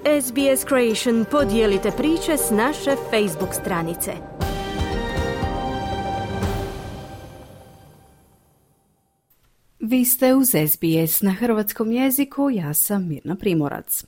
SBS Creation podijelite priče s naše Facebook stranice. Vi ste uz SBS na hrvatskom jeziku, ja sam Mirna Primorac.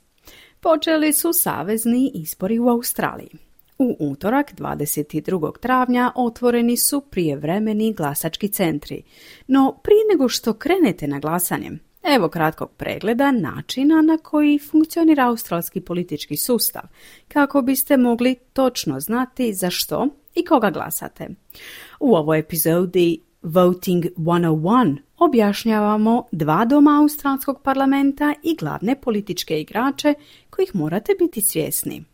Počeli su savezni izbori u Australiji. U utorak, 22. travnja, otvoreni su prijevremeni glasački centri. No prije nego što krenete na glasanje, evo kratkog pregleda načina na koji funkcionira australski politički sustav, kako biste mogli točno znati za što i koga glasate. U ovoj epizodi Voting 101 objašnjavamo 2 doma australskog parlamenta i glavne političke igrače kojih morate biti svjesni.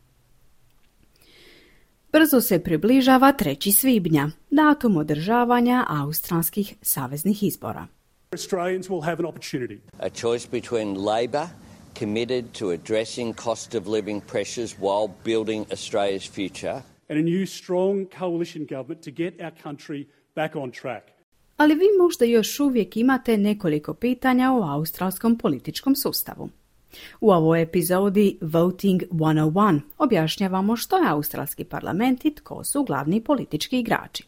Brzo se približava 3. svibnja, datum održavanja australskih saveznih izbora. Australians will have an opportunity. A choice between Labor, committed to addressing cost of living pressures while building Australia's future, And a new strong coalition government to get our country back on track. Ali vi možda još uvijek imate nekoliko pitanja o australskom političkom sustavu. U ovoj epizodi Voting 101 objašnjavamo što je australski parlament i tko su glavni politički igrači.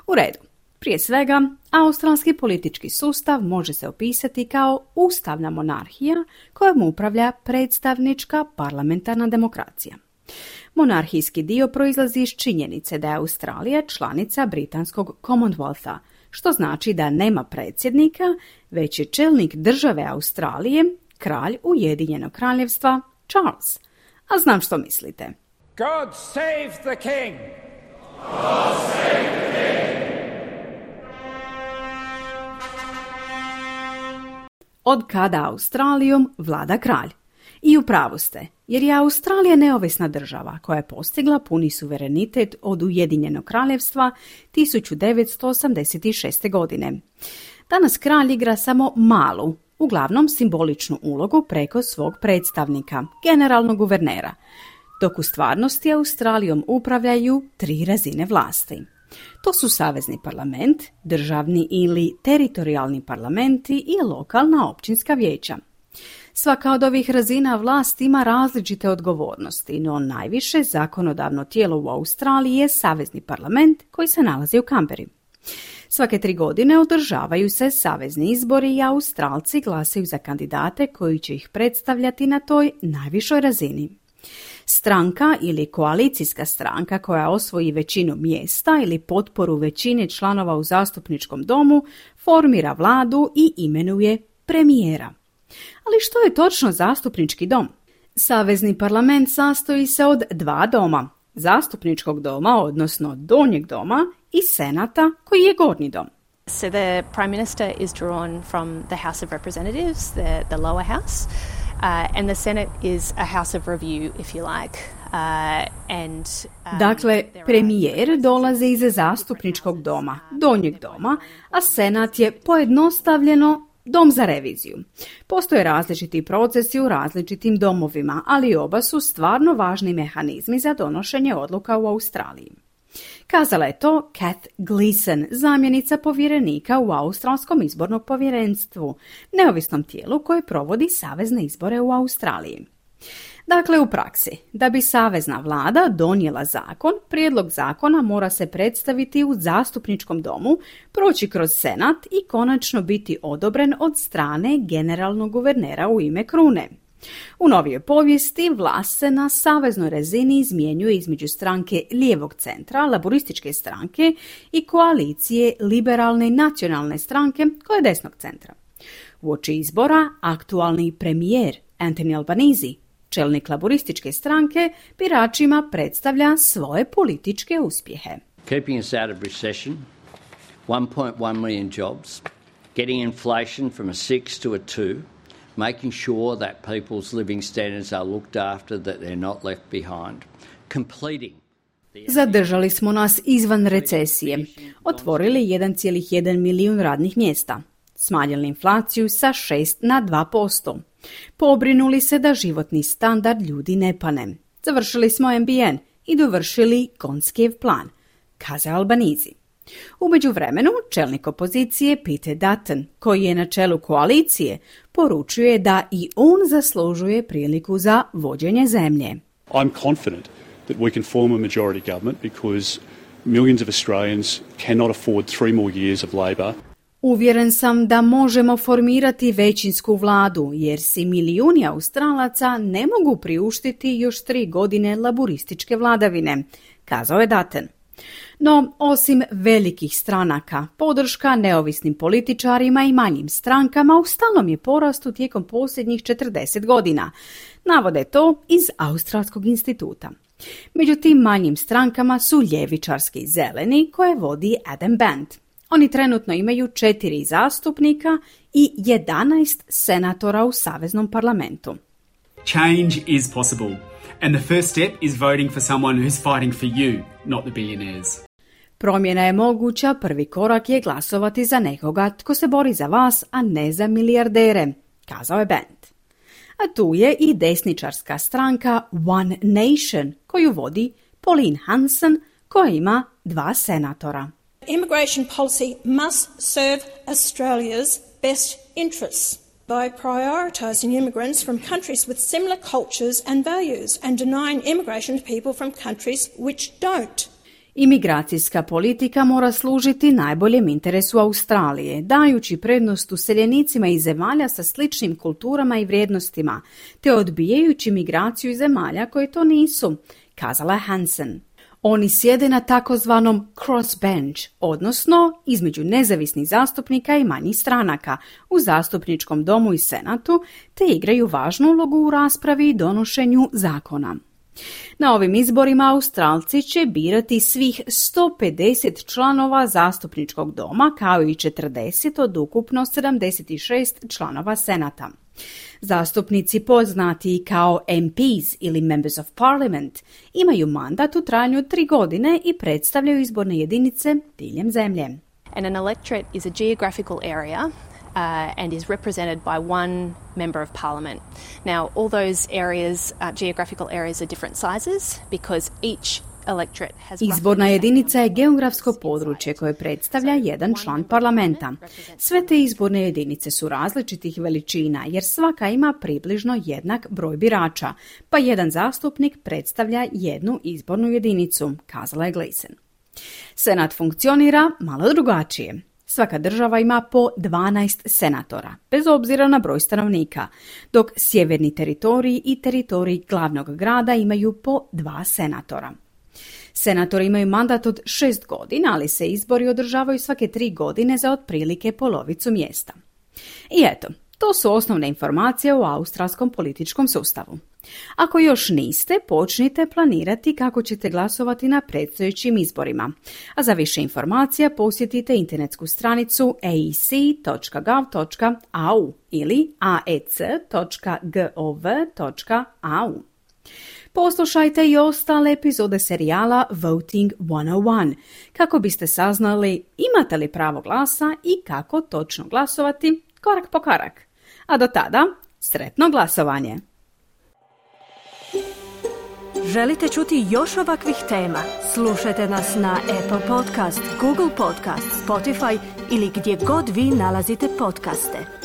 U redu. Prije svega, australski politički sustav može se opisati kao ustavna monarhija kojom upravlja predstavnička parlamentarna demokracija. Monarhijski dio proizlazi iz činjenice da je Australija članica britanskog Commonwealtha, što znači da nema predsjednika, već je čelnik države Australije, kralj Ujedinjenog kraljevstva Charles. A znam što mislite. God save the king! God save the king! Od kada Australijom vlada kralj? I u pravu ste, jer je Australija neovisna država koja je postigla puni suverenitet od Ujedinjenog kraljevstva 1986. godine. Danas kralj igra samo malu, uglavnom simboličnu ulogu preko svog predstavnika, generalnog guvernera, dok u stvarnosti Australijom upravljaju 3 razine vlasti. To su savezni parlament, državni ili teritorijalni parlamenti i lokalna općinska vijeća. Svaka od ovih razina vlasti ima različite odgovornosti, no najviše zakonodavno tijelo u Australiji je savezni parlament koji se nalazi u Canberri. Svake 3 godine održavaju se savezni izbori i Australci glasaju za kandidate koji će ih predstavljati na toj najvišoj razini. Stranka ili koalicijska stranka koja osvoji većinu mjesta ili potporu većine članova u zastupničkom domu formira vladu i imenuje premijera. Ali što je točno zastupnički dom? Savezni parlament sastoji se od 2 doma, zastupničkog doma, odnosno donjeg doma, i senata koji je gornji dom. So the Prime Minister is drawn from the House of Representatives, the lower house, and the Senate is a house of review, if you like. Dakle, premijer dolazi iz zastupničkog doma, donjeg doma, a senat je pojednostavljeno dom za reviziju. Postoje različiti procesi u različitim domovima, ali oba su stvarno važni mehanizmi za donošenje odluka u Australiji. Kazala je to Kath Gleeson, zamjenica povjerenika u Australskom izbornom povjerenstvu, neovisnom tijelu koje provodi savezne izbore u Australiji. Dakle, u praksi, da bi savezna vlada donijela zakon, prijedlog zakona mora se predstaviti u zastupničkom domu, proći kroz senat i konačno biti odobren od strane generalnog guvernera u ime krune. U novijoj povijesti vlast se na saveznoj razini izmjenjuje između stranke lijevog centra, laborističke stranke, i koalicije liberalne i nacionalne stranke koja je desnog centra. Uoči izbora aktualni premijer Anthony Albanese, čelnik laborističke stranke, biračima predstavlja svoje političke uspjehe. keeping us out of recession, 1.1 million jobs, getting inflation from a 6 to a 2, making sure that people's living standards are looked after, that they're not left behind, completing. Zadržali smo nas izvan recesije, otvorili 1,1 milijun radnih mjesta, smanjili inflaciju sa 6 na 2%, pobrinuli se da životni standard ljudi ne pane, završili smo NBN i dovršili Gonskijev plan, kazao Albanese. U međuvremenu, čelnik opozicije Peter Dutton, koji je na čelu koalicije, poručuje da i on zaslužuje priliku za vođenje zemlje. I'm confident that we can form a majority government because millions of Australians cannot afford 3 more years of Labor. Uvjeren sam da možemo formirati većinsku vladu, jer si milijuni Australaca ne mogu priuštiti još 3 godine laburističke vladavine, kazao je Dutton. No, osim velikih stranaka, podrška neovisnim političarima i manjim strankama u stalnom je porastu tijekom posljednjih 40 godina. Navode to iz Australskog instituta. Među tim manjim strankama su ljevičarski zeleni koje vodi Adam Bandt. Oni trenutno imaju 4 zastupnika i 11 senatora u Saveznom parlamentu. Change is possible, and the first step is voting for someone who's fighting for you, not the billionaires. Promjena je moguća, prvi korak je glasovati za nekoga tko se bori za vas, a ne za milijardere, kazao je Bandt. A tu je i desničarska stranka One Nation, koju vodi Pauline Hanson, koja ima 2 senatora. Immigration policy must serve Australia's best interests by prioritising immigrants from countries with similar cultures and values and denying immigration to people from countries which don't. Imigracijska politika mora služiti najboljem interesu Australije, dajući prednost useljenicima iz zemalja sa sličnim kulturama i vrijednostima, te odbijajući migraciju iz zemalja koje to nisu, kazala je Hansen. Oni sjede na takozvanom crossbench, odnosno između nezavisnih zastupnika i manjih stranaka u zastupničkom domu i senatu, te igraju važnu ulogu u raspravi i donošenju zakona. Na ovim izborima Australci će birati svih 150 članova zastupničkog doma, kao i 40 od ukupno 76 članova senata. Zastupnici poznati kao MPs ili Members of Parliament imaju mandat u trajanju 3 godine i predstavljaju izborne jedinice diljem zemlje. And an electorate is a geographical area and is represented by one member of parliament. Now, all those areas, geographical areas, are different sizes because each electorate has... Izborna jedinica je geografsko područje koje predstavlja jedan član parlamenta. Sve te izborne jedinice su različitih veličina jer svaka ima približno jednak broj birača, pa jedan zastupnik predstavlja jednu izbornu jedinicu, kazala je Gleason. Senat funkcionira malo drugačije. Svaka država ima po 12 senatora, bez obzira na broj stanovnika, dok sjeverni teritoriji i teritoriji glavnog grada imaju po 2 senatora. Senatori imaju mandat od 6 godina, ali se izbori održavaju svake 3 godine za otprilike polovicu mjesta. I eto, to su osnovne informacije o australskom političkom sustavu. Ako još niste, počnite planirati kako ćete glasovati na predstojećim izborima. A za više informacija posjetite internetsku stranicu aec.gov.au ili aec.gov.au. Poslušajte i ostale epizode serijala Voting 101 kako biste saznali imate li pravo glasa i kako točno glasovati korak po korak. A do tada, sretno glasovanje! Želite čuti još ovakvih tema? Slušajte nas na Apple Podcast, Google Podcast, Spotify ili gdje god vi nalazite podcaste.